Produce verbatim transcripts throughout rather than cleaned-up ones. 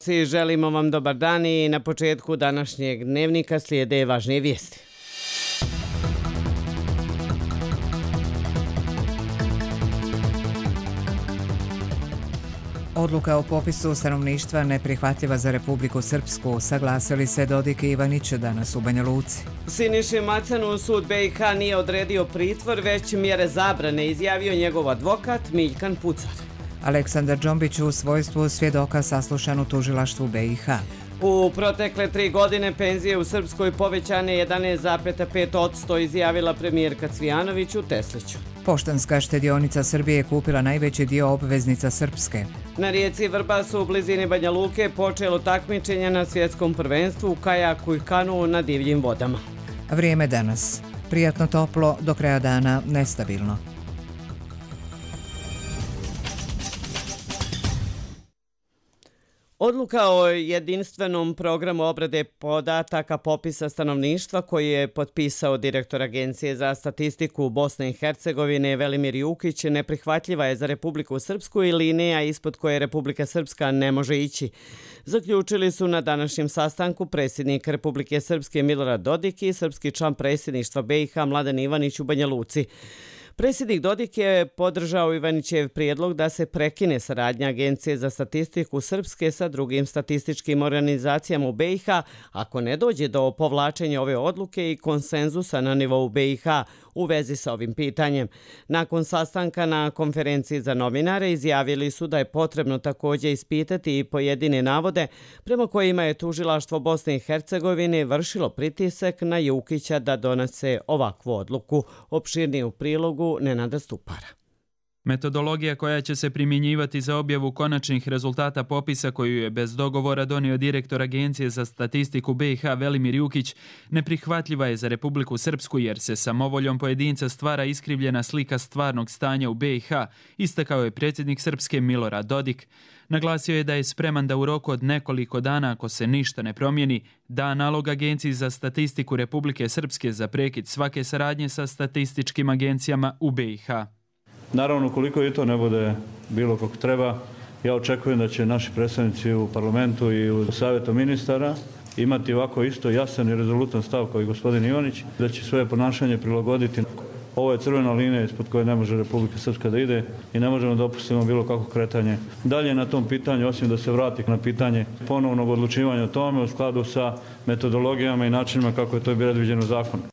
Svi želimo vam dobar dan i na početku današnjeg dnevnika slijede važnije vijesti. Odluka o popisu stanovništva neprihvatljiva za Republiku Srpsku, saglasili se Dodik i Ivanić danas u Banja Luci. Siniši Macanu sud B i H nije odredio pritvor, već mjere zabrane, izjavio njegov advokat Miljkan Pucar. Aleksandar Džombić u svojstvu svjedoka saslušan u tužilaštvu B i H. U protekle tri godine penzije u Srpskoj povećane jedanaest zarez pet posto, izjavila premijerka Cvijanović u Tesliću. Poštanska štedionica Srbije kupila najveći dio obveznica Srpske. Na rijeci Vrbasu u blizini Banja Luke počelo takmičenje na svjetskom prvenstvu u kajaku i kanu na divljim vodama. Vrijeme danas. Prijatno toplo, do kraja dana nestabilno. Odluka o jedinstvenom programu obrade podataka popisa stanovništva koji je potpisao direktor Agencije za statistiku Bosne i Hercegovine Velimir Jukić neprihvatljiva je za Republiku Srpsku i linija ispod koje Republika Srpska ne može ići. Zaključili su na današnjem sastanku predsjednik Republike Srpske Milorad Dodik i srpski član predsjedništva B i H Mladen Ivanić u Banja Luci. Predsjednik Dodik je podržao Ivanićev prijedlog da se prekine saradnja Agencije za statistiku Srpske sa drugim statističkim organizacijama u B i H ako ne dođe do povlačenja ove odluke i konsenzusa na nivou B i H u vezi sa ovim pitanjem. Nakon sastanka na konferenciji za novinare izjavili su da je potrebno također ispitati i pojedine navode prema kojima je tužilaštvo Bosne i Hercegovine vršilo pritisak na Jukića da donese ovakvu odluku. Opširnije u prilogu Nenada Stupara. Metodologija koja će se primjenjivati za objavu konačnih rezultata popisa koju je bez dogovora donio direktor Agencije za statistiku B i H Velimir Jukić neprihvatljiva je za Republiku Srpsku jer se samovoljom pojedinca stvara iskrivljena slika stvarnog stanja u B i H, istakao je predsjednik Srpske Milorad Dodik. Naglasio je da je spreman da u roku od nekoliko dana, ako se ništa ne promijeni, da nalog Agenciji za statistiku Republike Srpske za prekid svake saradnje sa statističkim agencijama u B i H. Naravno, ukoliko i to ne bude bilo kako treba, ja očekujem da će naši predstavnici u parlamentu i u savjetu ministara imati ovako isto jasan i rezolutan stav kao i gospodin Ivanić, da će svoje ponašanje prilagoditi. Ovo je crvena linija ispod koje ne može Republika Srpska da ide i ne možemo dopustiti bilo kako kretanje dalje na tom pitanju, osim da se vrati na pitanje ponovnog odlučivanja o tome u skladu sa metodologijama i načinima kako je to bilo predviđeno zakonom.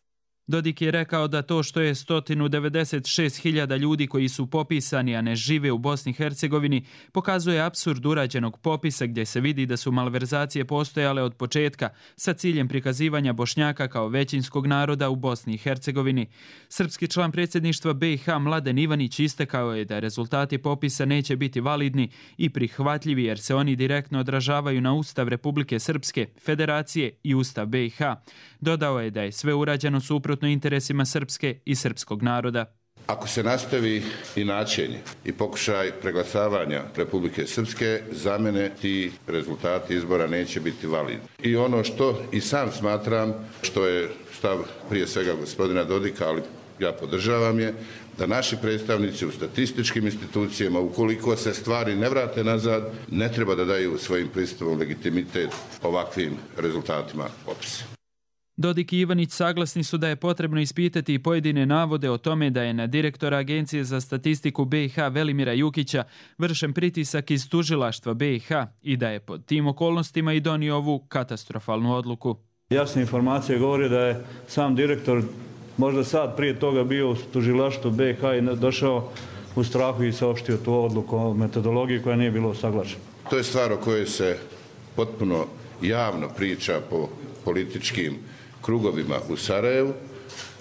Dodik je rekao da to što je sto devedeset šest hiljada ljudi koji su popisani, a ne žive u Bosni i Hercegovini, pokazuje apsurd urađenog popisa gdje se vidi da su malverzacije postojale od početka sa ciljem prikazivanja Bošnjaka kao većinskog naroda u Bosni i Hercegovini. Srpski član predsjedništva B i H Mladen Ivanić istakao je da rezultati popisa neće biti validni i prihvatljivi jer se oni direktno odražavaju na Ustav Republike Srpske, Federacije i Ustav B i H. Dodao je da je sve urađeno suprotno interesima Srpske i srpskog naroda. Ako se nastavi inačenje i pokušaj preglasavanja Republike Srpske, za mene ti rezultati izbora neće biti validni. I ono što i sam smatram, što je stav prije svega gospodina Dodika, ali ja podržavam je, da naši predstavnici u statističkim institucijama, ukoliko se stvari ne vrate nazad, ne treba da daju svojim pristupom legitimitet ovakvim rezultatima popisa. Dodik i Ivanić saglasni su da je potrebno ispitati i pojedine navode o tome da je na direktora Agencije za statistiku B i H Velimira Jukića vršen pritisak iz tužilaštva B i H i da je pod tim okolnostima i donio ovu katastrofalnu odluku. Jasne informacije govori da je sam direktor možda sad prije toga bio u tužilaštvu B i H i došao u strahu i saopštio tu odluku o metodologiji koja nije bilo usaglašena. To je stvar o kojoj se potpuno javno priča po političkim krugovima u Sarajevu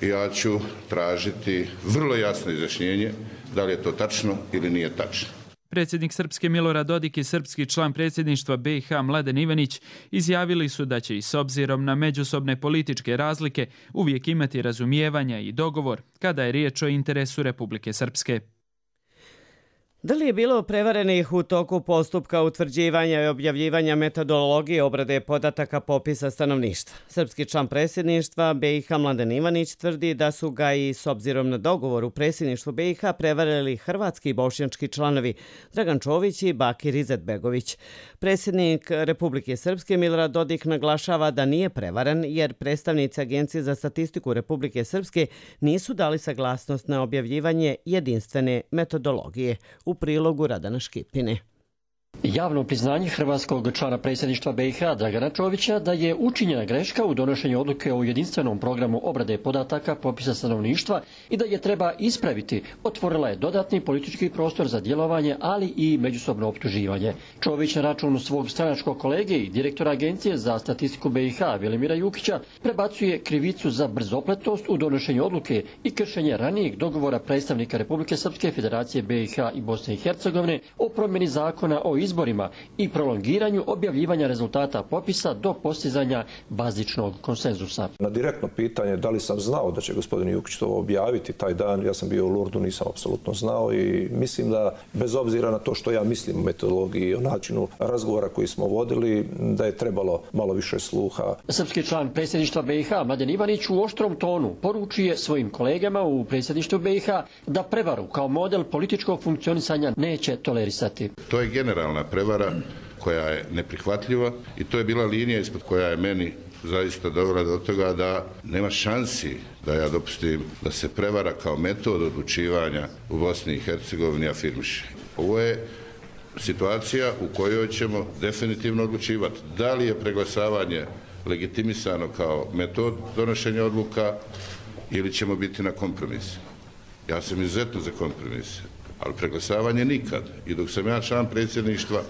i ja ću tražiti vrlo jasno izjašnjenje da li je to tačno ili nije tačno. Predsjednik Srpske Milorad Dodik i srpski član predsjedništva B i H Mladen Ivanić izjavili su da će i s obzirom na međusobne političke razlike uvijek imati razumijevanja i dogovor kada je riječ o interesu Republike Srpske. Da li je bilo prevarenih u toku postupka utvrđivanja i objavljivanja metodologije obrade podataka popisa stanovništva? Srpski član predsjedništva B i H Mladen Ivanić tvrdi da su ga i s obzirom na dogovor u predsjedništvu B i H prevarili hrvatski i bošnjački članovi Dragan Čović i Bakir Izetbegović. Predsjednik Republike Srpske Milorad Dodik naglašava da nije prevaren jer predstavnici Agencije za statistiku Republike Srpske nisu dali saglasnost na objavljivanje jedinstvene metodologije. U prilogu Radana Škipine. Javno priznanje hrvatskog člana predsjedništva B i H Dragana Čovića da je učinjena greška u donošenju odluke o jedinstvenom programu obrade podataka popisa stanovništva i da je treba ispraviti, otvorila je dodatni politički prostor za djelovanje, ali i međusobno optuživanje. Čović na računu svog stranačkog kolege i direktora Agencije za statistiku B i H Velimira Jukića prebacuje krivicu za brzopletost u donošenju odluke i kršenje ranijeg dogovora predstavnika Republike Srpske, Federacije B i H i Bosne i Hercegovine o promjeni zakona o izborima i prolongiranju objavljivanja rezultata popisa do postizanja bazičnog konsenzusa. Na direktno pitanje da li sam znao da će gospodin Jukić to objaviti taj dan, ja sam bio u Lurdu, nisam apsolutno znao i mislim da bez obzira na to što ja mislim o metodologiji i o načinu razgovora koji smo vodili, da je trebalo malo više sluha. Srpski član predsjedništva B i H Mladen Ivanić u oštrom tonu poručuje svojim kolegama u predsjedništvu B i H da prevaru kao model političkog funkcionisanja neće tolerisati. To je generalna prevara koja je neprihvatljiva i to je bila linija ispod koja je meni zaista dovela do toga da nema šansi da ja dopustim da se prevara kao metod odlučivanja u Bosni i Hercegovini afirmiše. Ovo je situacija u kojoj ćemo definitivno odlučivati da li je preglasavanje legitimisano kao metod donošenja odluka ili ćemo biti na kompromis. Ja sam izuzetno za kompromise, ali preglasavanje nikad. I dok sam ja član predsjedništva,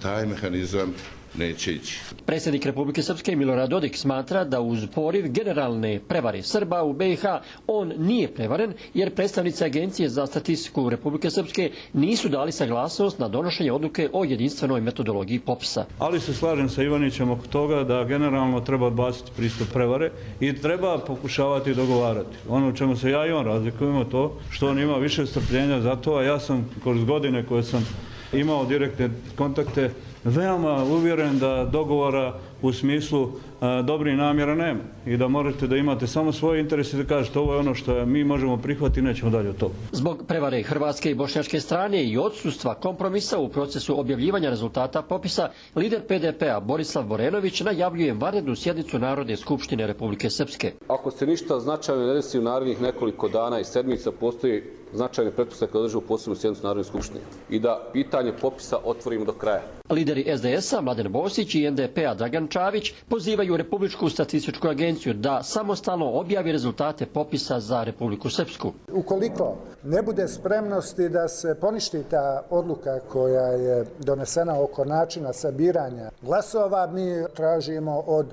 taj mehanizam neće ići. Predsjednik Republike Srpske Milorad Dodik smatra da uz poriv generalne prevare Srba u B i H on nije prevaren jer predstavnici Agencije za statistiku Republike Srpske nisu dali saglasnost na donošenje odluke o jedinstvenoj metodologiji popisa. Ali se slažem sa Ivanićem oko toga da generalno treba odbaciti pristup prevare i treba pokušavati dogovarati. Ono u čemu se ja i on razlikujemo to što on ima više strpljenja za to, a ja sam kroz godine koje sam imao direktne kontakte veoma uvjeren da dogovora u smislu a, dobrih namjera nema i da možete da imate samo svoje interese i da kažete ovo je ono što mi možemo prihvatiti i nećemo dalje od toga. Zbog prevare hrvatske i bošnjačke strane i odsustva kompromisa u procesu objavljivanja rezultata popisa, lider P D P-a Borislav Borenović najavljuje vanrednu sjednicu Narodne skupštine Republike Srpske. Ako se ništa značajno ne desi u narednih nekoliko dana i sedmica, postoji značajne pretpostavke da održimo posebnu sjednicu Narodne skupštine i da pitanje popisa otvorimo do kraja. Lideri S D S-a Mladen Bosić i N D P-a Dragan Čavić pozivaju Republičku statističku agenciju da samostalno objavi rezultate popisa za Republiku Srpsku. Ukoliko ne bude spremnosti da se poništi ta odluka koja je donesena oko načina sabiranja glasova, mi tražimo od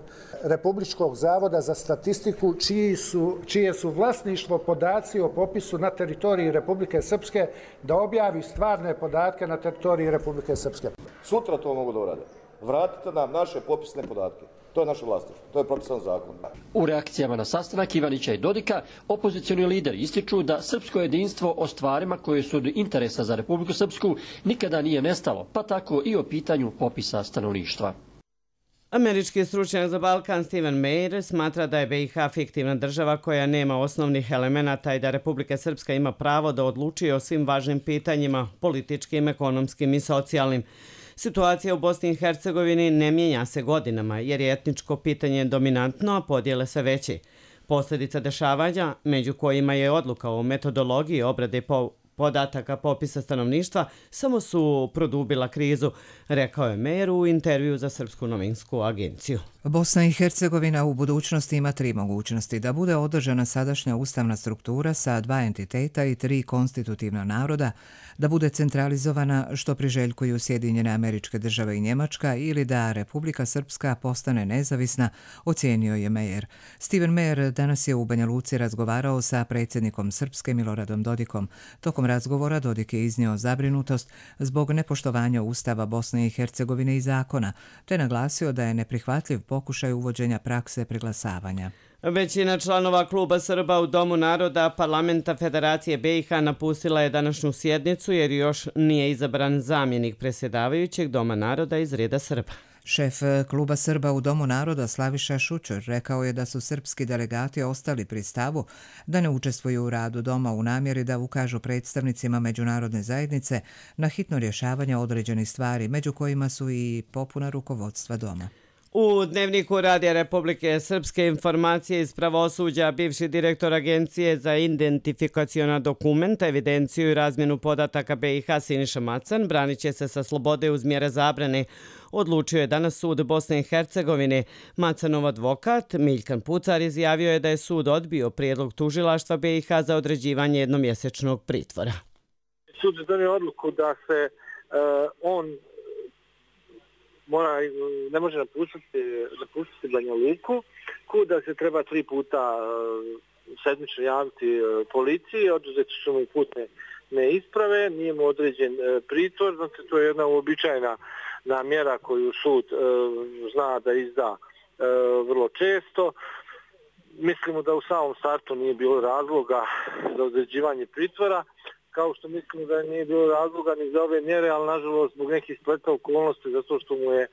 Republičkog zavoda za statistiku čiji su, čije su vlasništvo podaci o popisu na teritoriji Republike Srpske da objavi stvarne podatke na teritoriji Republike Srpske. Sutra to mogu da urade. Vratite nam naše popisne podatke. To je naše vlasništvo. To je propisan zakon. U reakcijama na sastanak Ivanića i Dodika, opozicioni lideri ističu da srpsko jedinstvo o stvarima koje su od interesa za Republiku Srpsku nikada nije nestalo, pa tako i o pitanju popisa stanovništva. Američki stručnjak za Balkan Steven Meyer smatra da je B i H fiktivna država koja nema osnovnih elemenata i da Republika Srpska ima pravo da odlučuje o svim važnim pitanjima, političkim, ekonomskim i socijalnim. Situacija u Bosni i Hercegovini ne mijenja se godinama jer je etničko pitanje dominantno, a podjele sve veće. Posljedica dešavanja, među kojima je odluka o metodologiji obrade po podataka popisa stanovništva, samo su produbila krizu, rekao je Meyer u intervju za Srpsku novinsku agenciju. Bosna i Hercegovina u budućnosti ima tri mogućnosti: da bude održana sadašnja ustavna struktura sa dva entiteta i tri konstitutivna naroda, da bude centralizovana što priželjkuju Sjedinjene Američke Države i Njemačka ili da Republika Srpska postane nezavisna, ocijenio je Meyer. Steven Meyer danas je u Banja Luci razgovarao sa predsjednikom Srpske Miloradom Dodikom. Tokom razgovora Dodik je iznio zabrinutost zbog nepoštovanja Ustava Bosne i Hercegovine i zakona, te naglasio da je neprihvatljiv pokušaj uvođenja prakse preglasavanja. Većina članova Kluba Srba u Domu naroda Parlamenta Federacije B i H napustila je današnju sjednicu jer još nije izabran zamjenik predsjedavajućeg Doma naroda iz reda Srba. Šef Kluba Srba u Domu naroda Slaviša Šučer rekao je da su srpski delegati ostali pri stavu da ne učestvuju u radu Doma u namjeri da ukažu predstavnicima međunarodne zajednice na hitno rješavanje određenih stvari, među kojima su i popuna rukovodstva Doma. U Dnevniku Radija Republike Srpske informacije iz pravosuđa bivši direktor Agencije za identifikaciona dokumenta, evidenciju i razmjenu podataka B i H Siniša Macan branit će se sa slobode uz mjere zabrane. Odlučio je danas sud Bosne i Hercegovine. Macanov advokat Miljkan Pucar izjavio je da je sud odbio prijedlog tužilaštva B i H za određivanje jednomjesečnog pritvora. Sud je donio odluku da se uh, on mora, ne može napustiti, napustiti Banja Luku, kuda se treba tri puta sedmično javiti policiji, oduzeti su mu putne neisprave, nije mu određen pritvor, znači to je jedna uobičajena mjera koju sud zna da izda vrlo često. Mislimo da u samom startu nije bilo razloga za određivanje pritvora, kao što mislimo da nije bilo razloga ni za ove mjere, ali nažalost zbog nekih spleta okolnosti, zato što mu je e,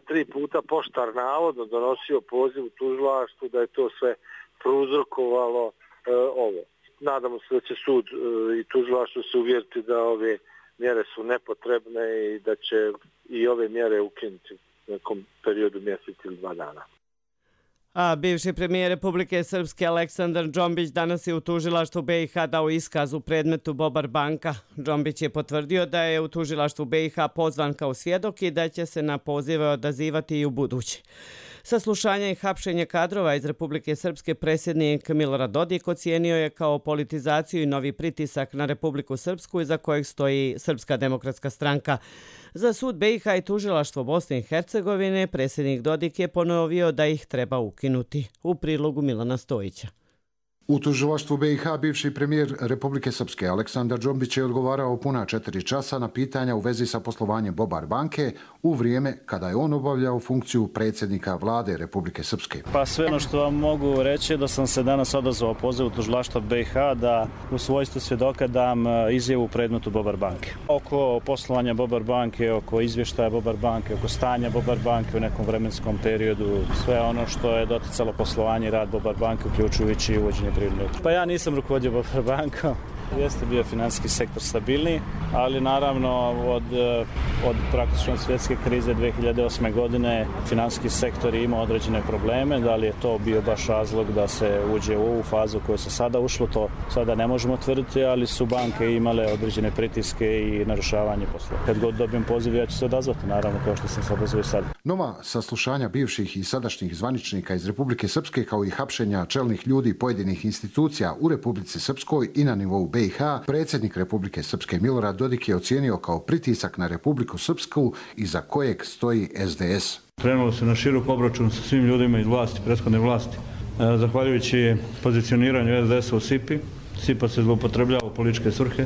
tri puta poštar navodno donosio poziv u tužilaštvu da je to sve prouzrokovalo e, ovo. Nadamo se da će sud e, i tužilaštvo se uvjeriti da ove mjere su nepotrebne i da će i ove mjere ukinuti u nekom periodu mjesec ili dva dana. A bivši premijer Republike Srpske Aleksandar Džombić danas je u tužilaštvu B i H dao iskaz u predmetu Bobar banka. Džombić je potvrdio da je u tužilaštvu B i H pozvan kao svjedok i da će se na pozive odazivati i u budući. Saslušanje i hapšenje kadrova iz Republike Srpske predsjednik Milorad Dodik ocijenio je kao politizaciju i novi pritisak na Republiku Srpsku iza kojeg stoji Srpska demokratska stranka. Za sud B i H i tužilaštvo Bosne i Hercegovine predsjednik Dodik je ponovio da ih treba ukinuti. U prilogu Milana Stojića. U tužilaštvu B i H bivši premijer Republike Srpske Aleksandar Džombić je odgovarao puna četiri časa na pitanja u vezi sa poslovanjem Bobar banke u vrijeme kada je on obavljao funkciju predsjednika vlade Republike Srpske. Pa sve ono što vam mogu reći je da sam se danas odazvao pozivu tužilaštva B i H da u svojstvu svjedoka dam izjavu u predmetu Bobar banke. Oko poslovanja Bobar banke, oko izvještaja Bobar banke, oko stanja Bobar banke u nekom vremenskom periodu, sve ono što je doticalo poslovanje i rad Bobar banke, uključujući i uvođenje privrednog. Pa ja nisam rukovodio Bobar bankom. Jeste bio financijski sektor stabilniji, ali naravno od, od praktično svjetske krize dvije hiljade osme godine financijski sektor je imao određene probleme. Da li je to bio baš razlog da se uđe u ovu fazu koju se sada ušlo, to sada ne možemo tvrditi, ali su banke imale određene pritiske i narušavanje poslova. Kad god dobijem poziv, ja ću se odazvati, naravno, kao što sam se odazvao i sad. Nova saslušanja bivših i sadašnjih zvaničnika iz Republike Srpske, kao i hapšenja čelnih ljudi pojedinih institucija u Republici Srpskoj i na nivou B i H, predsjednik Republike Srpske Milorad Dodik je ocijenio kao pritisak na Republiku Srpsku iza kojeg stoji S D S. Krenulo se na širok obračun sa svim ljudima iz vlasti, prethodne vlasti. Zahvaljujući pozicioniranju S D S-a u S I P-i, S I P-a se zloupotrebljava u političke svrhe.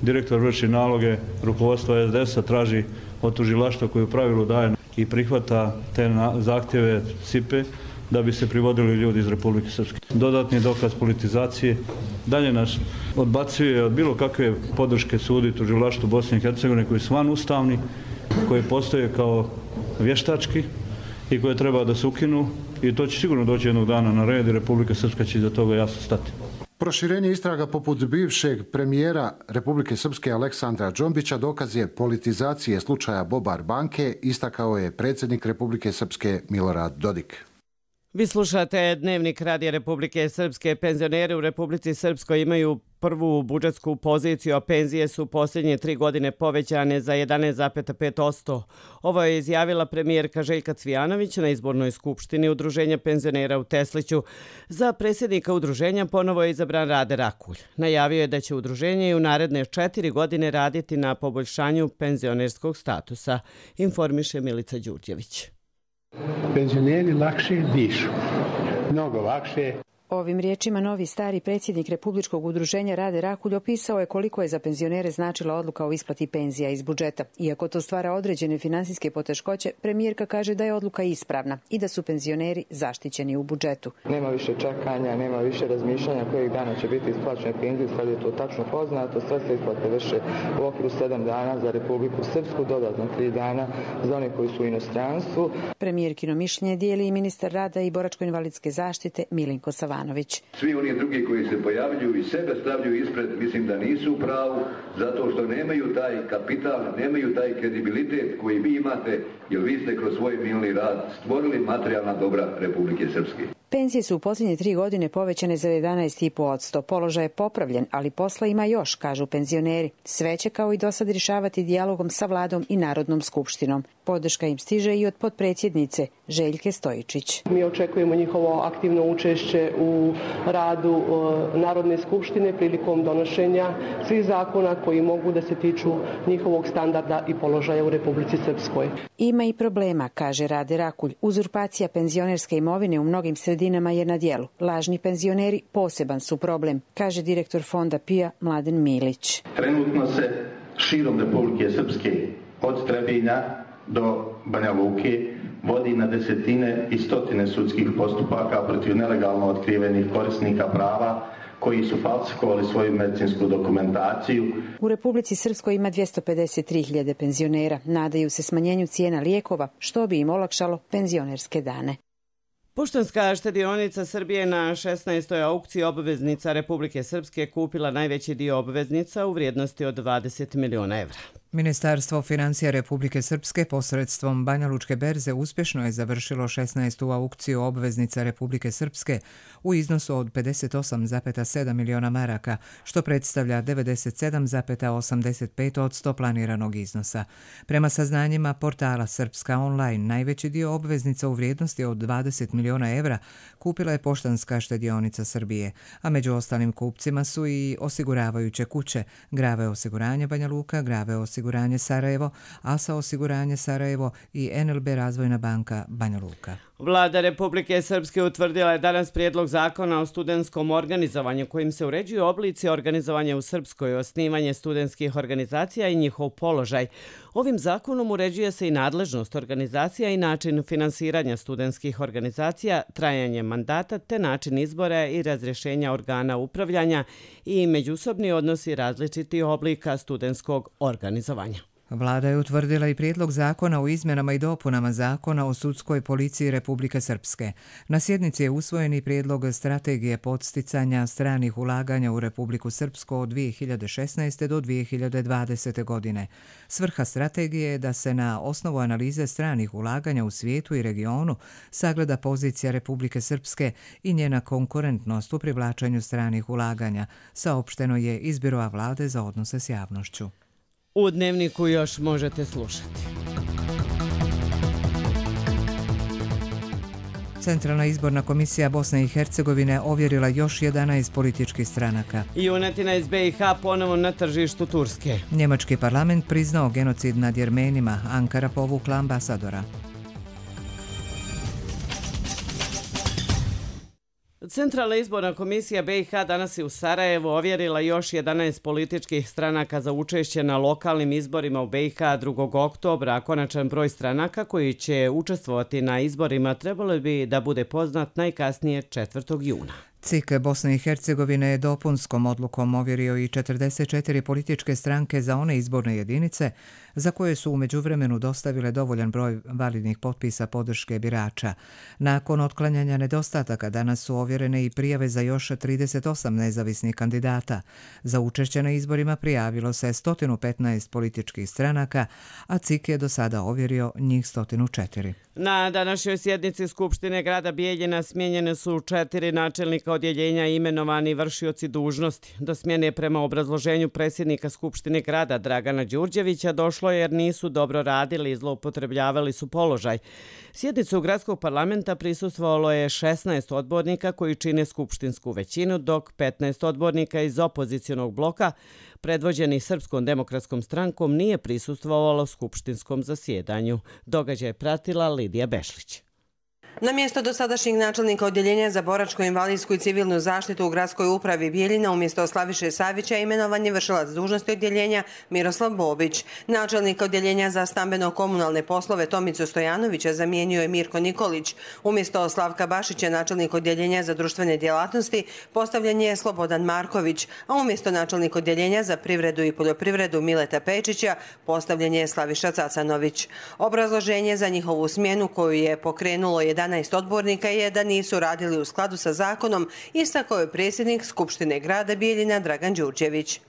Direktor vrši naloge rukovodstva S D S-a, traži od tužilaštva koje u pravilu daje i prihvata te zahtjeve S I P-e da bi se privodili ljudi iz Republike Srpske. Dodatni dokaz politizacije dalje nas odbacuje od bilo kakve podrške sudu i tužilaštvu Bosne i Hercegovine koji su van ustavni, koji postoje kao vještački i koje treba da se ukinu, i to će sigurno doći jednog dana na red i Republika Srpska će za toga jasno stati. Proširenje istraga poput bivšeg premijera Republike Srpske Aleksandra Džombića dokaz je politizacije slučaja Bobar banke, istakao je predsjednik Republike Srpske Milorad Dodik. Vi slušate Dnevnik Radija Republike Srpske. Penzioneri u Republici Srpskoj imaju prvu budžetsku poziciju, a penzije su posljednje tri godine povećane za jedanaest zarez pet posto. Ovo je izjavila premijerka Željka Cvijanović na izbornoj skupštini Udruženja penzionera u Tesliću. Za predsjednika udruženja ponovo je izabran Rade Rakulj. Najavio je da će udruženje i u naredne četiri godine raditi na poboljšanju penzionerskog statusa, informiše Milica Đurđević. Penzioneri lakše dišu, mnogo lakše. Ovim riječima novi stari predsjednik Republičkog udruženja Rade Rakulj opisao je koliko je za penzionere značila odluka o isplati penzija iz budžeta. Iako to stvara određene finansijske poteškoće, premijerka kaže da je odluka ispravna i da su penzioneri zaštićeni u budžetu. Nema više čekanja, nema više razmišljanja kojeg dana će biti isplaćene penzije, sad je to tačno poznato. Sve se isplate vrše u okviru sedam dana za Republiku Srpsku, dodatno tri dana za one koji su u inostranstvu. Premijerkino mišljenje dijeli i ministar rada i boračko-invalidske zaštite Milinko Savanović. Svi oni drugi koji se pojavljuju i sebe stavljaju ispred, mislim da nisu u pravu, zato što nemaju taj kapital, nemaju taj kredibilitet koji vi imate, jer vi ste kroz svoj milni rad stvorili materijalna dobra Republike Srpske. Penzije su u posljednje tri godine povećane za jedanaest zarez pet posto. Položaj je popravljen, ali posla ima još, kažu penzioneri. Sve će kao i do sad rješavati dijalogom sa vladom i Narodnom skupštinom. Podrška im stiže i od potpredsjednice Željke Stojičić. Mi očekujemo njihovo aktivno učešće u radu Narodne skupštine prilikom donošenja svih zakona koji mogu da se tiču njihovog standarda i položaja u Republici Srpskoj. Ima i problema, kaže Rade Rakulj. Uzurpacija penzionerske imovine u mnogim sredinama je na djelu. Lažni penzioneri poseban su problem, kaže direktor fonda P I A Mladen Milić. Trenutno se širom Republike Srpske od Trebinja do Banja Luke vodi na desetine i stotine sudskih postupaka protiv nelegalno otkrivenih korisnika prava koji su falsifikovali svoju medicinsku dokumentaciju. U Republici Srpskoj ima dvjesto pedeset tri hiljade penzionera. Nadaju se smanjenju cijena lijekova, što bi im olakšalo penzionerske dane. Poštanska štedionica Srbije na šesnaestoj aukciji obveznica Republike Srpske kupila najveći dio obveznica u vrijednosti od dvadeset miliona evra. Ministarstvo financija Republike Srpske posredstvom Banja Lučke berze uspješno je završilo šesnaestu aukciju obveznica Republike Srpske u iznosu od pedeset osam zarez sedam miliona maraka, što predstavlja devedeset sedam zarez osamdeset pet posto planiranog iznosa. Prema saznanjima portala Srpska online, najveći dio obveznica u vrijednosti od dvadeset miliona evra kupila je Poštanska štedionica Srbije, a među ostalim kupcima su i osiguravajuće kuće, Grave osiguranje Banja Luka, Grave osiguranje Sarajevo, Asa osiguranje Sarajevo i N L B Razvojna banka Banja Luka. Vlada Republike Srpske utvrdila je danas prijedlog zakona o studentskom organizovanju kojim se uređuju oblici organizovanja u Srpskoj, osnivanje studentskih organizacija i njihov položaj. Ovim zakonom uređuje se i nadležnost organizacija i način finansiranja studentskih organizacija, trajanje mandata te način izbora i razrješenja organa upravljanja i međusobni odnosi različitih oblika studentskog organizovanja. Vlada je utvrdila i prijedlog zakona o izmjenama i dopunama zakona o sudskoj policiji Republike Srpske. Na sjednici je usvojen i prijedlog strategije podsticanja stranih ulaganja u Republiku Srpsku od dvije hiljade šesnaeste. do dvije hiljade dvadesete. godine. Svrha strategije je da se na osnovu analize stranih ulaganja u svijetu i regionu sagleda pozicija Republike Srpske i njena konkurentnost u privlačenju stranih ulaganja, saopšteno je iz Biroa Vlade za odnose s javnošću. U Dnevniku još možete slušati. Centralna izborna komisija Bosne i Hercegovine ovjerila još jedanaest političkih stranaka. Junetina iz B i H ponovo na tržištu Turske. Njemački parlament priznao genocid nad Jermenima. Ankara povukla ambasadora. Centralna izborna komisija B i H danas je u Sarajevu ovjerila još jedanaest političkih stranaka za učešće na lokalnim izborima u B i H drugog oktobra, a konačan broj stranaka koji će učestvovati na izborima trebalo bi da bude poznat najkasnije četvrtog juna. C I K Bosne i Hercegovine je dopunskom odlukom ovjerio i četrdeset četiri političke stranke za one izborne jedinice za koje su u međuvremenu dostavile dovoljan broj validnih potpisa podrške birača. Nakon otklanjanja nedostataka danas su ovjerene i prijave za još trideset osam nezavisnih kandidata. Za učešće na izborima prijavilo se sto petnaest političkih stranaka, a C I K je do sada ovjerio njih sto četiri. Na današnjoj sjednici Skupštine grada Bijeljina smijenjene su četiri načelnika odjeljenja i imenovani vršioci dužnosti. Do smjene prema obrazloženju predsjednika Skupštine grada Dragana Đurđevića došlo jer nisu dobro radili i zloupotrebljavali su položaj. Sjednicu gradskog parlamenta prisustvovalo je šesnaest odbornika koji čine skupštinsku većinu, dok petnaest odbornika iz opozicionog bloka predvođeni Srpskom demokratskom strankom nije prisustvovalo skupštinskom zasjedanju. Događaj je pratila Lidija Bešlić. Na mjesto dosadašnjeg načelnika odjeljenja za boračku, invalidsku i civilnu zaštitu u gradskoj upravi Bijeljina umjesto Slaviše Savića imenovan je vršilac dužnosti odjeljenja Miroslav Bobić. Načelnik odjeljenja za stambeno-komunalne poslove Tomicu Stojanovića zamijenio je Mirko Nikolić. Umjesto Slavka Bašića načelnik odjeljenja za društvene djelatnosti postavljen je Slobodan Marković, a umjesto načelnik odjeljenja za privredu i poljoprivredu Mileta Pečića postavljen je Slaviša Cacanović. Obrazloženje za njihovu smjenu koju je pokrenulo jedanaest odbornika je da nisu radili u skladu sa zakonom, istakao je predsjednik Skupštine grada Bijeljina Dragan Đurđević.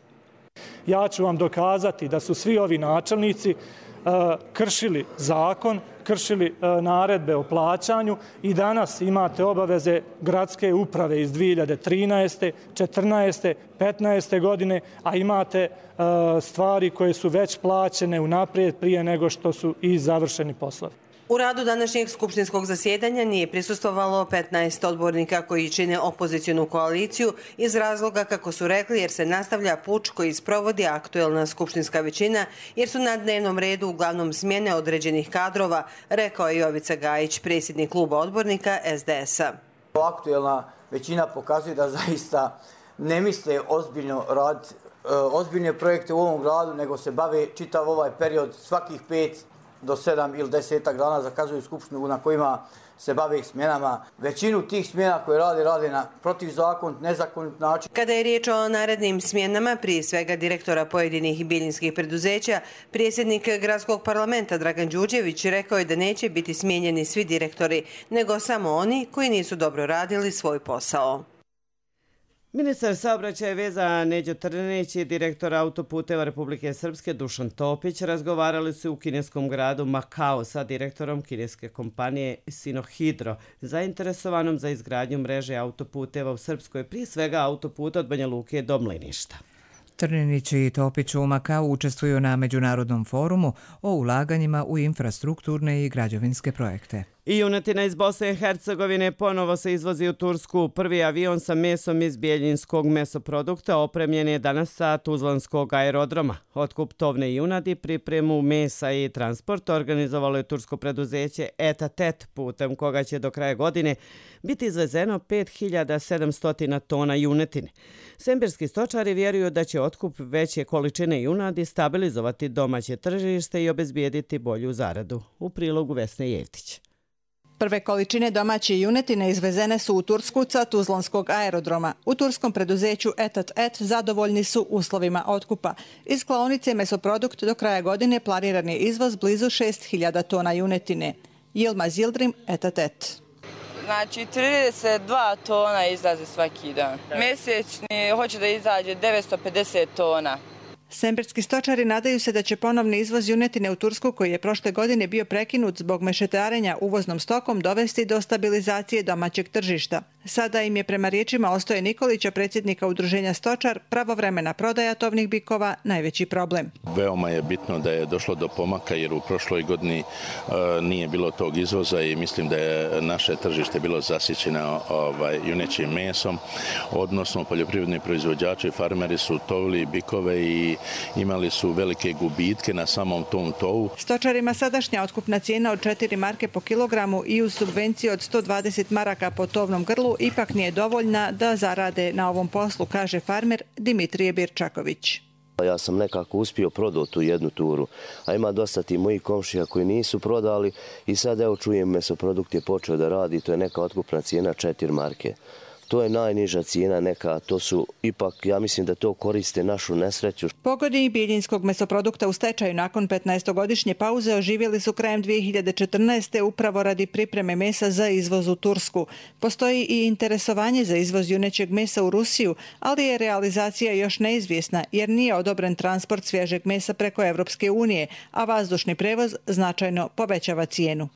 Ja ću vam dokazati da su svi ovi načelnici uh, kršili zakon, kršili uh, naredbe o plaćanju i danas imate obaveze gradske uprave iz dvije hiljade trinaeste, četrnaeste, petnaeste godine, a imate uh, stvari koje su već plaćene unaprijed prije nego što su i završeni poslovi. U radu današnjeg skupštinskog zasjedanja nije prisustvovalo petnaest odbornika koji čine opozicijnu koaliciju iz razloga, kako su rekli, jer se nastavlja puč koji sprovodi aktuelna skupštinska većina, jer su na dnevnom redu uglavnom smjene određenih kadrova, rekao je Jovica Gajić, predsjednik kluba odbornika S D S-a. Aktuelna većina pokazuje da zaista ne misle ozbiljno raditi ozbiljne projekte u ovom gradu, nego se bave čitav ovaj period svakih pet do sedam ili desetak dana zakazuju skupštinu na kojima se bave smjenama. Većinu tih smjena koje rade, rade na protivzakonit, nezakonit način. Kada je riječ o narednim smjenama, prije svega direktora pojedinih bijeljinskih preduzeća, predsjednik gradskog parlamenta Dragan Đurđević rekao je da neće biti smijenjeni svi direktori, nego samo oni koji nisu dobro radili svoj posao. Ministar saobraćaja i veza Neđo Trninić i direktor autoputeva Republike Srpske Dušan Topić razgovarali su u kineskom gradu Makao sa direktorom kineske kompanije Sinohydro, zainteresovanom za izgradnju mreže autoputeva u Srpskoj, prije svega autoputa od Banja Luke do Mliništa. Trninić i Topić u Makau učestvuju na međunarodnom forumu o ulaganjima u infrastrukturne i građevinske projekte. I junetina iz Bosne i Hercegovine ponovo se izvozi u Tursku. Prvi avion sa mesom iz bijeljinskog mesoprodukta opremljen je danas sa Tuzlanskog aerodroma. Otkup tovne junadi, pripremu mesa i transport organizovalo je tursko preduzeće Etatet, putem koga će do kraja godine biti izvezeno pet hiljada sedamsto tona junetine. Sembirski stočari vjeruju da će otkup veće količine junadi stabilizovati domaće tržište i obezbijediti bolju zaradu. U prilogu Vesne Jevtić. Prve količine domaće junetine izvezene su u Tursku sa Tuzlanskog aerodroma. U turskom preduzeću Etat Et zadovoljni su uslovima otkupa. Iz klaonice Mesoprodukt do kraja godine planiran je izvoz blizu šest hiljada tona junetine. Yilmaz Yildirim, Etat Et. Znači, trideset dva tona izlazi svaki dan. Mjesečni hoće da izađe devetsto pedeset tona. Sembirski stočari nadaju se da će ponovni izvoz junetine u Tursku, koji je prošle godine bio prekinut zbog mešetarenja uvoznom stokom, dovesti do stabilizacije domaćeg tržišta. Sada im je, prema riječima Ostoje Nikolića, predsjednika udruženja Stočar, pravovremena prodaja tovnih bikova najveći problem. Veoma je bitno da je došlo do pomaka, jer u prošloj godini uh, nije bilo tog izvoza i mislim da je naše tržište bilo zasićeno ovaj, junećim mesom, odnosno poljoprivredni proizvođači, farmeri su tovili bikove i imali su velike gubitke na samom tom tovu. Stočarima sadašnja otkupna cijena od četiri marke po kilogramu i uz subvenciju od sto dvadeset maraka po tovnom grlu ipak nije dovoljna da zarade na ovom poslu, kaže farmer Dimitrije Birčaković. Ja sam nekako uspio prodati tu jednu turu, a ima dosta ti mojih komšija koji nisu prodali i sad evo čujem Mesoprodukt je počeo da radi, to je neka otkupna cijena četiri marke. To je najniža cijena neka, to su ipak, ja mislim da to koriste našu nesreću. Pogodi bijeljinskog mesoprodukta u stečaju nakon petnaestogodišnje pauze oživjeli su krajem dvije hiljade četrnaeste. upravo radi pripreme mesa za izvoz u Tursku. Postoji i interesovanje za izvoz junećeg mesa u Rusiju, ali je realizacija još neizvjesna jer nije odobren transport svježeg mesa preko Evropske unije, a vazdušni prevoz značajno povećava cijenu.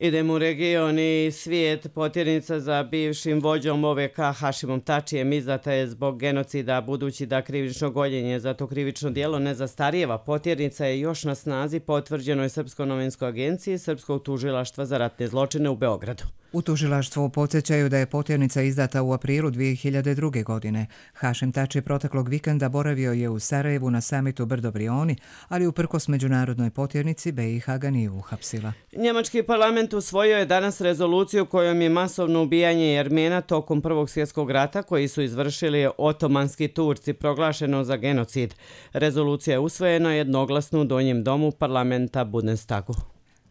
Idemo u region i svijet. Potjernica za bivšim vođom O V K Hašimom Tačijem izdata je zbog genocida, budući da krivično gonjenje za to krivično djelo ne zastarijeva. Potjernica je još na snazi, potvrđeno je Srpskoj novinskoj agenciji Srpskog tužilaštva za ratne zločine u Beogradu. U tužilaštvu podsjećaju da je potjernica izdata u aprilu dvije hiljade druge. godine. Hašim Tači proteklog vikenda boravio je u Sarajevu na samitu Brdo Brioni, ali uprkos međunarodnoj potjernici be i ha ga nije uhapsila. Njemački parlament usvojio je danas rezoluciju kojom je masovno ubijanje Jermena tokom Prvog svjetskog rata koji su izvršili otomanski Turci proglašeno za genocid. Rezolucija je usvojena jednoglasno u donjem domu parlamenta Bundestagu.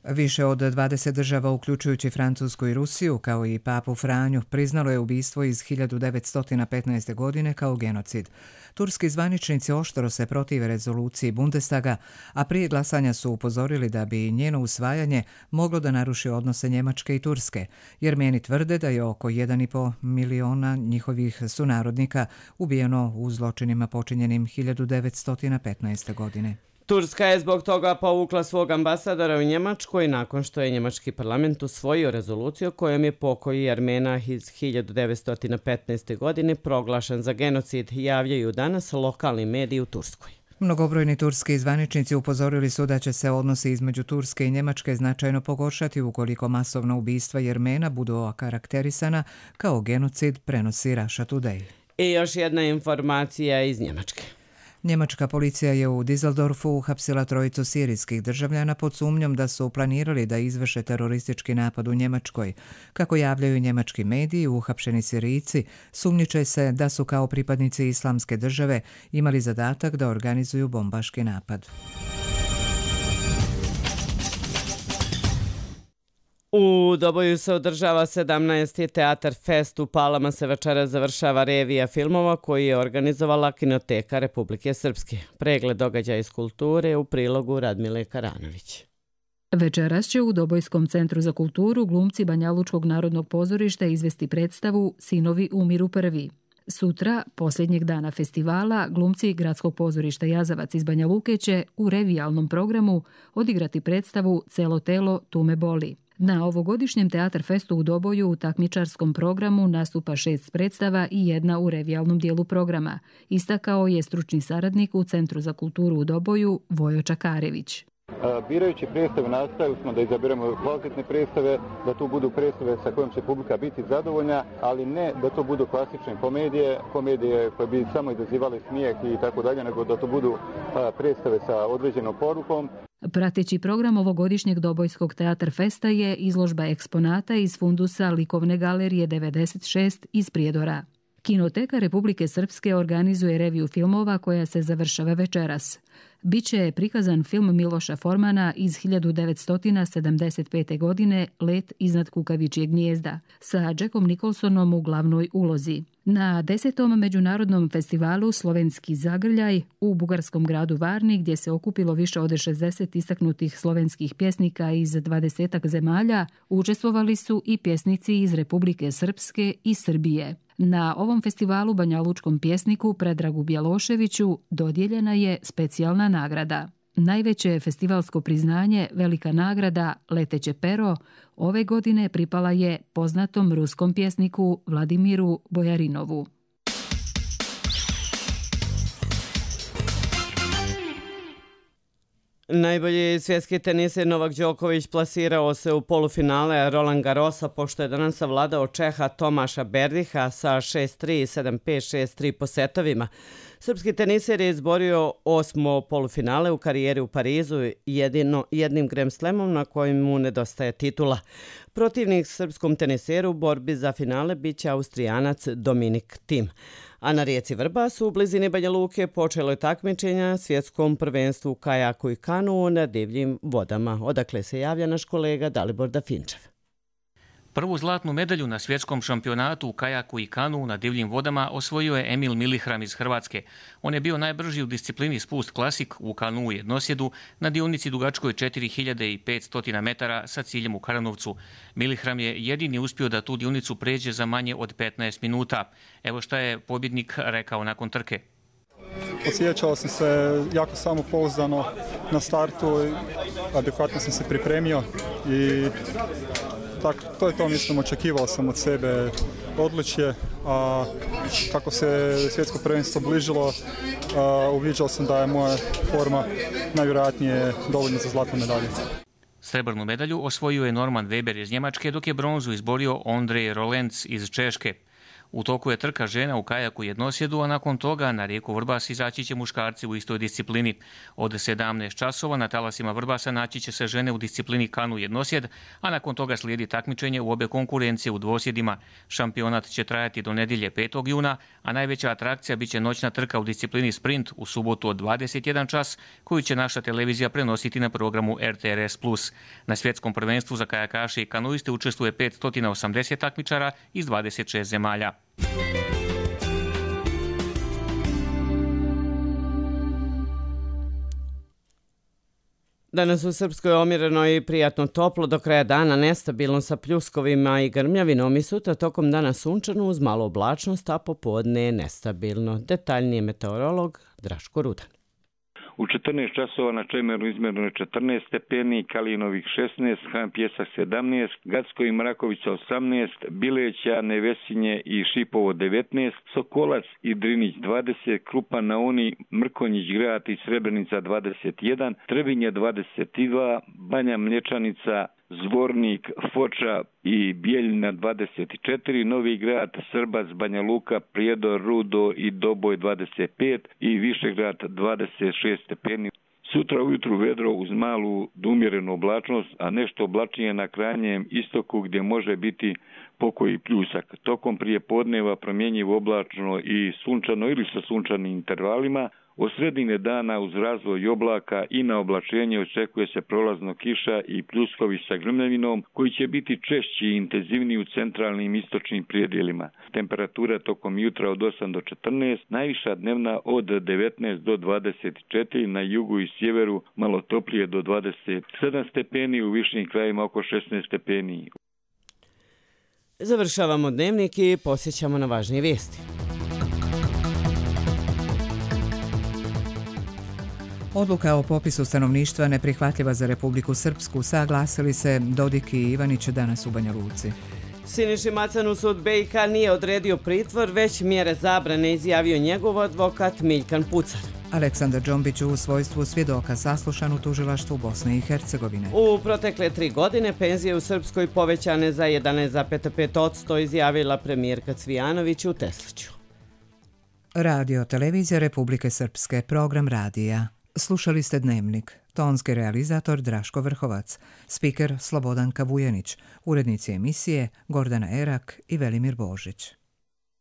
Više od dvadeset država, uključujući Francusku i Rusiju, kao i papu Franju, priznalo je ubistvo iz hiljadu devetsto petnaeste. godine kao genocid. Turski zvaničnici oštro se protive rezoluciji Bundestaga, a prije glasanja su upozorili da bi njeno usvajanje moglo da naruši odnose Njemačke i Turske. Jermeni tvrde da je oko jedan i po miliona njihovih sunarodnika ubijeno u zločinima počinjenim hiljadu devetsto petnaeste. godine. Turska je zbog toga povukla svog ambasadora u Njemačkoj nakon što je njemački parlament usvojio rezoluciju kojom je pokoj Jermena iz hiljadu devetsto petnaeste. godine proglašen za genocid, javljaju danas lokalni mediji u Turskoj. Mnogobrojni turski zvaničnici upozorili su da će se odnosi između Turske i Njemačke značajno pogoršati ukoliko masovna ubistva Jermena budu okarakterisana kao genocid, prenosi Russia Today. I još jedna informacija iz Njemačke. Njemačka policija je u Düsseldorfu uhapsila trojicu sirijskih državljana pod sumnjom da su planirali da izvrše teroristički napad u Njemačkoj. Kako javljaju njemački mediji, uhapšeni Sirijci sumnjiče se da su kao pripadnici Islamske države imali zadatak da organizuju bombaški napad. U Doboju se održava sedamnaesti. Teatar Fest. U Palama se večeras završava revija filmova koji je organizovala Kinoteka Republike Srpske. Pregled događaja iz kulture u prilogu Radmile Karanović. Večeras će u Dobojskom centru za kulturu glumci Banjalučkog narodnog pozorišta izvesti predstavu Sinovi umiru prvi. Sutra, posljednjeg dana festivala, glumci Gradskog pozorišta Jazavac iz Banja Luke će u revijalnom programu odigrati predstavu Celo telo tu me boli. Na ovogodišnjem Teatar Festu u Doboju u takmičarskom programu nastupa šest predstava i jedna u revijalnom dijelu programa, istakao je stručni saradnik u Centru za kulturu u Doboju Vojo Čakarević. Birajući predstave nastavili smo da izaberemo kvalitetne predstave, da to budu predstave sa kojom će publika biti zadovoljna, ali ne da to budu klasične komedije, komedije koje bi samo izazivale smijeh i tako dalje, nego da to budu predstave sa određenom porukom. Prateći program ovogodišnjeg Dobojskog Teatar Festa je izložba eksponata iz fundusa Likovne galerije devedeset šest iz Prijedora. Kinoteka Republike Srpske organizuje reviju filmova koja se završava večeras. Biće prikazan film Miloša Formana iz hiljadu devetsto sedamdeset pete. godine Let iznad kukavičjeg gnijezda sa Jackom Nicholsonom u glavnoj ulozi. Na desetom međunarodnom festivalu Slovenski zagrljaj u bugarskom gradu Varni, gdje se okupilo više od šezdeset istaknutih slovenskih pjesnika iz dvadesetak zemalja, učestvovali su i pjesnici iz Republike Srpske i Srbije. Na ovom festivalu banjalučkom pjesniku Predragu Bjeloševiću dodijeljena je specijalna nagrada. Najveće festivalsko priznanje, velika nagrada Leteće pero, ove godine pripala je poznatom ruskom pjesniku Vladimiru Bojarinovu. Najbolji svjetski teniser Novak Đoković plasirao se u polufinale Roland Garrosa pošto je danas savladao Čeha Tomaša Berdiha sa šest tri, sedam pet, šest tri po setovima. Srpski teniser je izborio osmo polufinale u karijeri u Parizu jedino, jednim Grand Slamom na kojim mu nedostaje titula. Protivnik srpskom teniseru u borbi za finale biće Austrijanac Dominik Thiem. A na rijeci Vrbas u blizini Banja Luke počelo je takmičenja svjetskom prvenstvu u kajaku i kanuu na divljim vodama. Odakle se javlja naš kolega Dalibor Dafinčev. Prvu zlatnu medalju na svjetskom šampionatu u kajaku i kanuu na divljim vodama osvojio je Emil Milihram iz Hrvatske. On je bio najbrži u disciplini spust klasik u kanuu jednosjedu na dionici dugačkoj četiri hiljade petsto metara sa ciljem u Karanovcu. Milihram je jedini uspio da tu dionicu pređe za manje od petnaest minuta. Evo šta je pobjednik rekao nakon trke. Osjećao sam se jako samopouzdano na startu, adekvatno sam se pripremio i tako, to je to, mislim, očekivao sam od sebe odličje, a kako se svjetsko prvenstvo bližilo, a, uviđao sam da je moja forma najvjerojatnije dovoljna za zlatnu medalju. Srebrnu medalju osvojio je Norman Weber iz Njemačke, dok je bronzu izborio Ondrej Rolenc iz Češke. U toku je trka žena u kajaku jednosjedu, a nakon toga na rijeku Vrbas izaći će muškarci u istoj disciplini. Od sedamnaest časova na talasima Vrbasa naći će se žene u disciplini kanu jednosjed, a nakon toga slijedi takmičenje u obe konkurencije u dvosjedima. Šampionat će trajati do nedjelje petog juna, a najveća atrakcija bit će noćna trka u disciplini sprint u subotu od dvadeset jedan čas, koju će naša televizija prenositi na programu R T R S plus. Na svjetskom prvenstvu za kajakaše i kanuiste učestvuje petsto osamdeset takmičara iz dvadeset šest zemalja. Danas u Srpskoj omjereno i prijatno toplo, do kraja dana nestabilno sa pljuskovima i grmljavinom i sutra tokom dana sunčano uz malo oblačnost, a popodne nestabilno. Detaljnije meteorolog Draško Rudan. U četrnaest časova na Čemeru izmjereno je četrnaest stepeni, Kalinovih šesnaest, Han Pjesak sedamnaest, Gacko i Mrakovica osamnaest, Bileća, Nevesinje i Šipovo devetnaest, Sokolac i Drinić dvadeset, Krupa na Uni, Mrkonjić Grad i Srebrenica dvadeset jedan, Trebinje dvadeset dva, Banja Mlječanica, Zvornik, Foča i Bijeljina dvadeset četiri, Novi Grad, Srbac, Banja Luka, Prijedor, Rudo i Doboj dvadeset pet i Višegrad dvadeset šest stepeni. Sutra ujutru vedro uz malu do umjerenu oblačnost, a nešto oblačnije na krajnjem istoku gdje može biti pokoji pljusak. Tokom prije podneva promjenjivo oblačno i sunčano ili sa sunčanim intervalima. Od sredine dana uz razvoj oblaka i na oblačenje očekuje se prolazno kiša i pljuskovi sa grmljavinom koji će biti češći i intenzivniji u centralnim i istočnim predjelima. Temperatura tokom jutra od osam do četrnaest, najviša dnevna od devetnaest do dvadeset četiri, na jugu i sjeveru malo toplije do dvadeset sedam stepeni, u višim krajima oko šesnaest stepeni. Završavamo dnevnik i posjećamo na važnije vijesti. Odluka o popisu stanovništva neprihvatljiva za Republiku Srpsku, saglasili se Dodik i Ivanić danas u Banja Luci. Siniši Macanu sud B i K nije odredio pritvor, već mjere zabrane izjavio njegov advokat Miljkan Pucar. Aleksandar Džombić u svojstvu svjedoka saslušan u tužilaštvu Bosne i Hercegovine. U protekle tri godine penzije u Srpskoj povećane za jedanaest zarez pet posto, izjavila premijerka Cvijanović u Tesliću. Radio Televizija Republike Srpske, program radija. Slušali ste Dnevnik. Tonski realizator Draško Vrhovac, spiker Slobodan Kavujanić, urednici emisije Gordana Erak i Velimir Božić.